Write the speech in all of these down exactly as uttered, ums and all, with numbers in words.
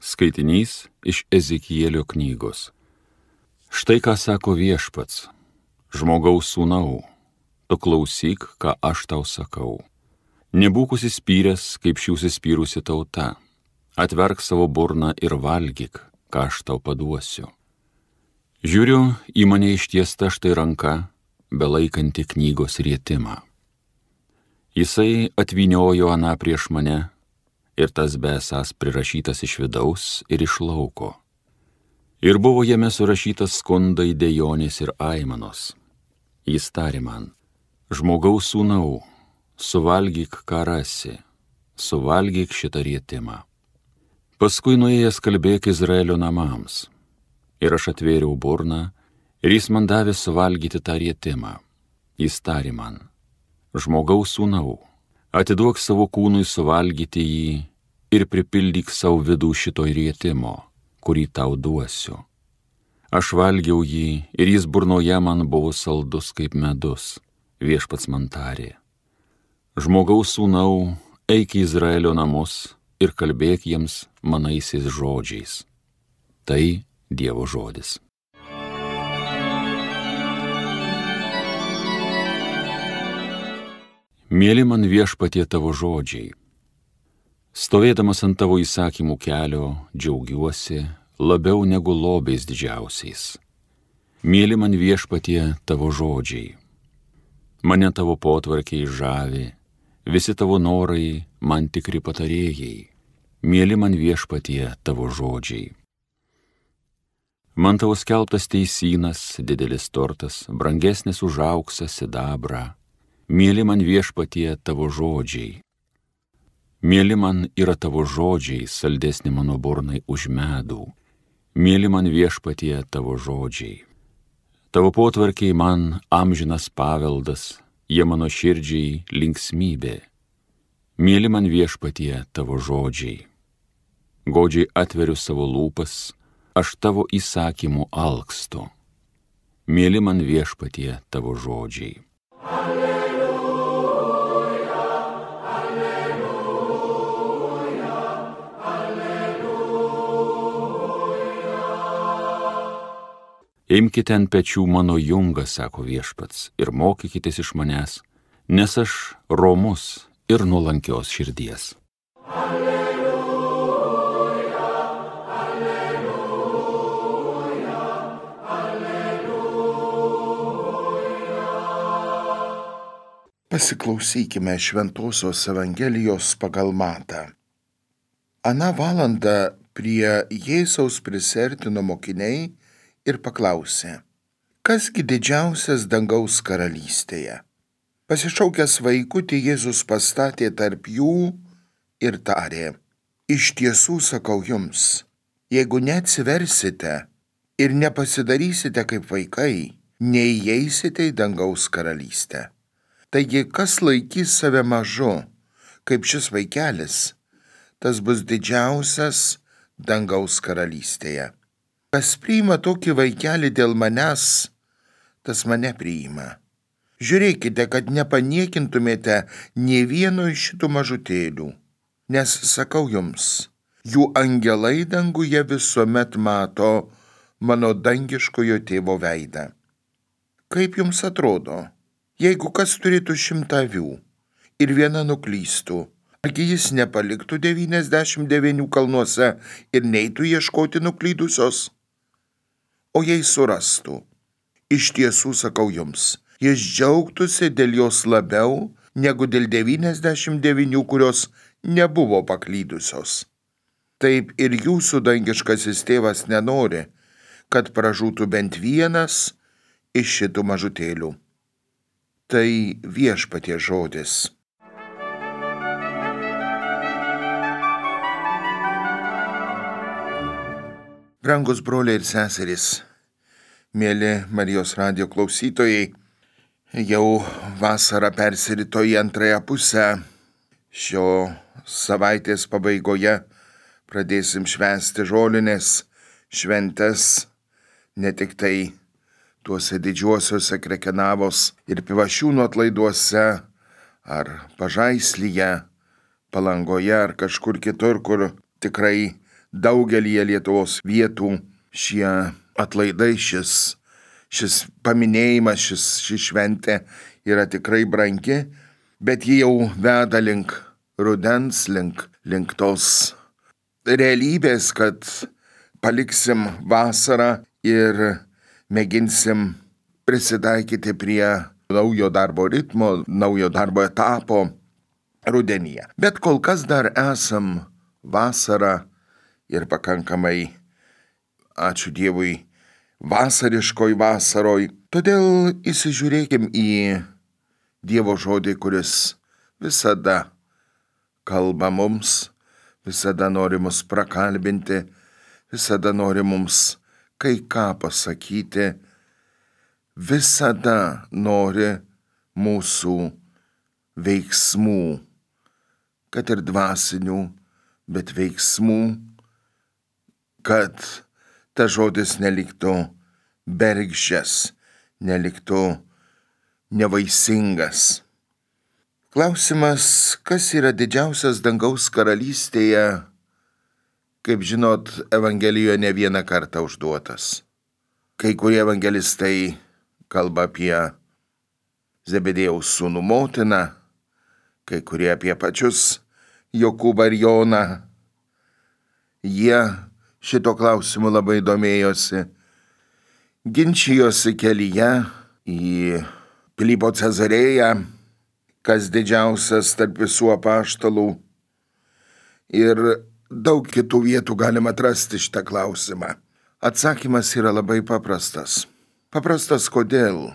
Skaitinys iš Ezekielio knygos. Štai ką sako Viešpats: žmogaus sūnau, tu klausyk, ką aš tau sakau. Nebūk užsispyręs, kaip ši užsispyrusi tauta. Atverk savo burną ir valgyk, ką aš tau paduosiu. Žiūriu, į mane ištiesta štai ranka, belaikanti knygos rietimą. Jisai atvyniojo aną prieš mane, ir tas besas prirašytas iš vidaus ir iš lauko. Ir buvo jame surašytas skundai, dejonės ir aimanos. Jis tarė man: žmogaus sūnau, suvalgyk, ką rasi, suvalgyk šitą rietimą. Paskui nuėjęs kalbėk Izraelio namams. Ir aš atvėriau burną, ir jis man davė suvalgyti tą rietimą. Jis tarė man: žmogaus sūnau, atiduok savo kūnui suvalgyti jį ir pripildyk savo vidų šito rietimo, kurį tau duosiu. Aš valgiau jį ir jis burnoje man buvo saldus kaip medus. Viešpats man tarė: žmogaus sūnau, eik į Izraelio namus ir kalbėk jiems manaisiais žodžiais. Tai Dievo žodis. Mėly man Viešpatie tavo žodžiai. Stovėdamas ant tavo įsakymų kelio, džiaugiuosi labiau negu lobiais didžiausiais. Mėly man Viešpatie tavo žodžiai. Mane tavo potvarkiai žavi, visi tavo norai man tikri patarėjai. Mėly man Viešpatie tavo žodžiai. Man tavo skelbtas teisynas, didelis turtas, brangesnis už auksą, sidabrą. Mėly man Viešpatie tavo žodžiai. Mėly man yra tavo žodžiai, saldesni mano burnai už medų. Mėly man Viešpatie tavo žodžiai. Tavo potvarkiai man amžinas paveldas, jie mano širdžiai linksmybė. Mėly man Viešpatie tavo žodžiai. Godžiai atveriu savo lūpas, aš tavo įsakymų alkstu. Mėly man Viešpatie tavo žodžiai. Imkite ant pečių mano jungą, sako Viešpats, ir mokykitės iš manęs, nes aš romus ir nuolankios širdies. Alleluja, alleluja, alleluja. Pasiklausykime Šventosios Evangelijos pagal Matą. Aną valandą prie Jėzaus prisiartino mokiniai ir paklausė: kasgi didžiausias dangaus karalystėje? Pasišaukęs vaikutį, Jėzus pastatė tarp jų ir tarė: iš tiesų sakau jums, jeigu neatsiversite ir nepasidarysite kaip vaikai, neįeisite į dangaus karalystę. Taigi, kas laikys save mažu, kaip šis vaikelis, tas bus didžiausias dangaus karalystėje. Kas priima tokį vaikelį dėl manęs, tas mane priima. Žiūrėkite, kad nepaniekintumėte nė vieno iš šitų mažutėlių, nes sakau jums, jų angelai danguje visuomet mato mano dangiškojo tėvo veidą. Kaip jums atrodo, jeigu kas turėtų šimtą avių ir viena nuklystų, argi jis nepaliktų devyniasdešimt devynių kalnuose ir neitų ieškoti nuklydusios? O jei surastų, iš tiesų sakau jums, jis džiaugtųsi dėl jos labiau negu dėl devyniasdešimt devynių, kurios nebuvo paklydusios. Taip ir jūsų dangiškasis tėvas nenori, kad pražūtų bent vienas iš šitų mažutėlių. Tai Viešpaties žodis. Brangus broliai ir seserys, mėly Marijos radijo klausytojai, jau vasara persirito į antrąją pusę. Šio savaitės pabaigoje pradėsim švęsti žolinės šventes, ne tik tai tuose didžiuosiuose Krekenavos ir Pivašiūnų atlaiduose, ar Pažaislyje, Palangoje, ar kažkur kitur, kur tikrai daugelį Lietuvos vietų šie atlaidai, šis, šis paminėjimas, šis, ši šventė yra tikrai brangi, bet ji jau veda link rudens, link, link tos realybės, kad paliksim vasarą ir mėginsim prisitaikyti prie naujo darbo ritmo, naujo darbo etapo rudenyje. Bet kol kas dar esam vasarą ir pakankamai, ačiū Dievui, vasariškoj vasaroj. Todėl įsižiūrėkim į Dievo žodį, kuris visada kalba mums, visada nori mus prakalbinti, visada nori mums kai ką pasakyti, visada nori mūsų veiksmų, kad ir dvasinių, bet veiksmų, kad ta žodis neliktų bergždžias, neliktų nevaisingas. Klausimas, kas yra didžiausias dangaus karalystėje, kaip žinot, Evangelijoje ne vieną kartą užduotas. Kai kurie evangelistai kalba apie Zebedėjaus sūnų motiną, kai kurie apie pačius Jokūbą ir Joną. Jie šito klausimu labai domėjosi, ginčijosi kelyje į Pilypo Cezarėją, kas didžiausias tarp visų apaštalų. Ir daug kitų vietų galima atrasti šitą klausimą. Atsakymas yra labai paprastas. Paprastas kodėl?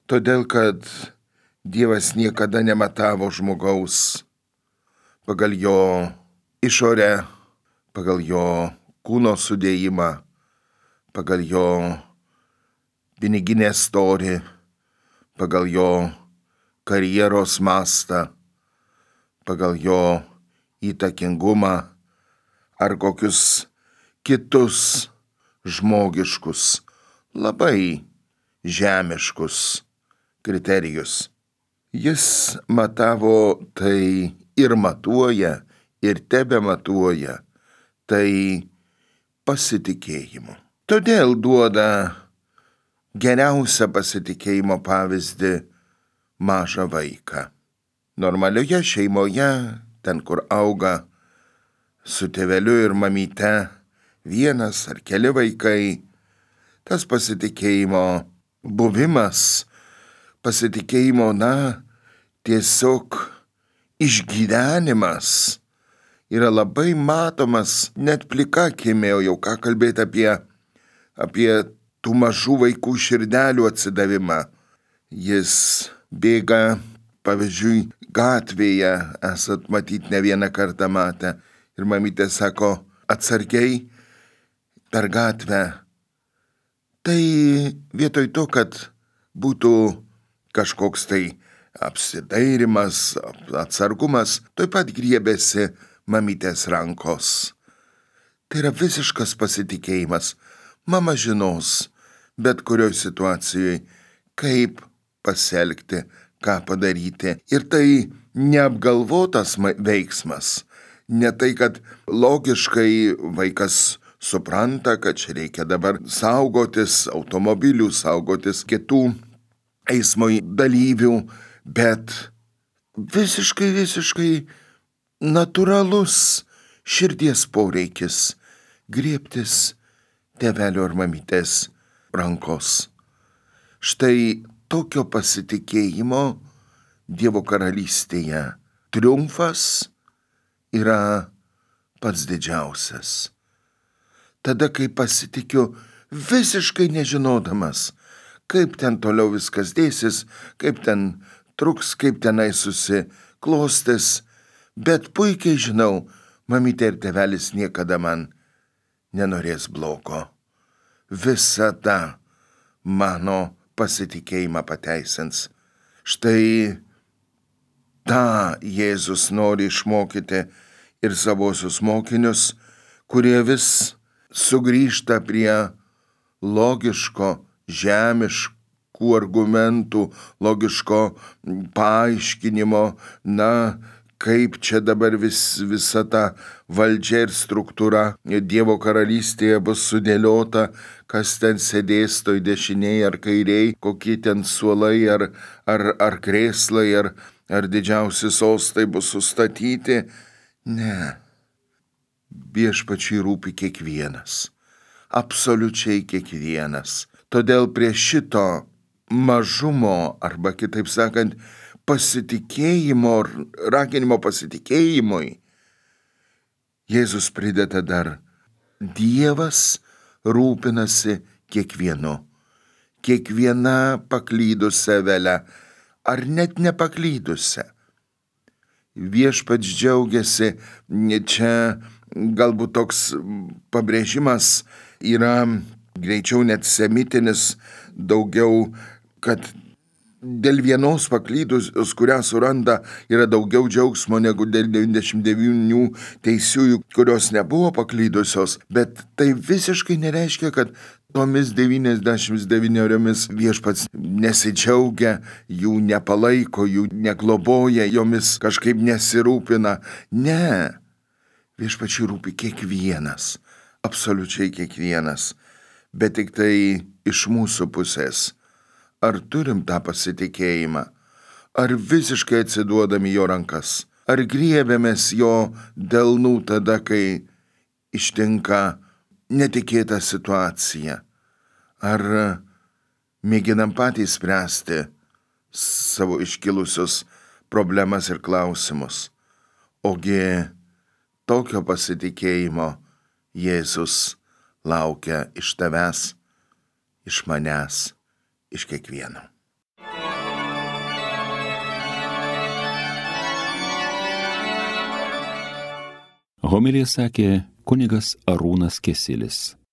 Todėl, kad Dievas niekada nematavo žmogaus pagal jo išorę, pagal jo kūno sudėjimą, pagal jo piniginę storį, pagal jo karjeros mastą, pagal jo įtakingumą ar kokius kitus žmogiškus, labai žemiškus kriterijus. Jis matavo tai ir matuoja, ir tebe matuoja tai pasitikėjimu. Todėl duoda geriausią pasitikėjimo pavyzdį mažą vaiką. Normalioje šeimoje, ten kur auga su tėveliu ir mamyte vienas ar keli vaikai, tas pasitikėjimo buvimas, pasitikėjimo, na, tiesiog išgyvenimas yra labai matomas net plika akimi, o jau ką kalbėti apie, apie tų mažų vaikų širdelių atsidavimą. Jis bėga, pavyzdžiui, gatvėje, esat matyt ne vieną kartą matę, ir mamytė sako, atsargiai per gatvę. Tai vietoj to, kad būtų kažkoks tai apsidairimas, atsargumas, tuoj pat griebėsi mamytės rankos. Tai yra visiškas pasitikėjimas. Mama žinos, bet kurioj situacijoje, kaip pasielgti, ką padaryti. Ir tai neapgalvotas veiksmas. Ne tai, kad logiškai vaikas supranta, kad čia reikia dabar saugotis automobilių, saugotis kitų eismo dalyvių, bet visiškai, visiškai natūralus širdies poreikis griebtis tėvelio ar mamytės rankos. Štai tokio pasitikėjimo Dievo karalystėje triumfas yra pats didžiausias. Tada, kai pasitikiu visiškai nežinodamas, kaip ten toliau viskas dėsis, kaip ten truks, kaip tenai susiklostys, bet puikiai žinau, mamytė ir tėvelis niekada man nenorės blogo. Visada mano pasitikėjimą pateisins. Štai tą Jėzus nori išmokyti ir savosius mokinius, kurie vis sugrįžta prie logiško, žemiškų argumentų, logiško paaiškinimo, na, kaip čia dabar vis, visa ta valdžia ir struktūra Dievo karalystėje bus sudėliota, kas ten sėdės toj dešiniai ar kairiai, kokie ten suolai ar, ar, ar krėslai, ar, ar didžiausi sostai bus sustatyti. Ne. Viešpačiui rūpi kiekvienas. Absoliučiai kiekvienas. Todėl prie šito mažumo, arba kitaip sakant, pasitikėjimo, raginimo pasitikėjimui, Jėzus prideda dar: Dievas rūpinasi kiekvienu, kiekviena paklydusią avelę, ar net nepaklydusią. Viešpats džiaugiasi, čia galbūt toks pabrėžimas yra greičiau net semitinis, daugiau, kad dėl vienos paklydusios, kurią suranda, yra daugiau džiaugsmo negu dėl devyniasdešimt devynių teisiųjų, kurios nebuvo paklydusios, bet tai visiškai nereiškia, kad tomis devyniasdešimt devyniomis viešpats nesidžiaugia, jų nepalaiko, jų negloboja, jomis kažkaip nesirūpina. Ne. Viešpačiui rūpi kiekvienas, absoliučiai kiekvienas, bet tik tai iš mūsų pusės. Ar turim tą pasitikėjimą? Ar visiškai atsiduodami jo rankas? Ar griebiamės jo delnų tada, kai ištinka netikėta situacija? Ar mėginam patys spręsti savo iškilusius problemas ir klausimus? Ogi tokio pasitikėjimo Jėzus laukia iš tavęs, iš manęs, iš kiekvieno. Homiliją sakė kunigas Arūnas Kesilis.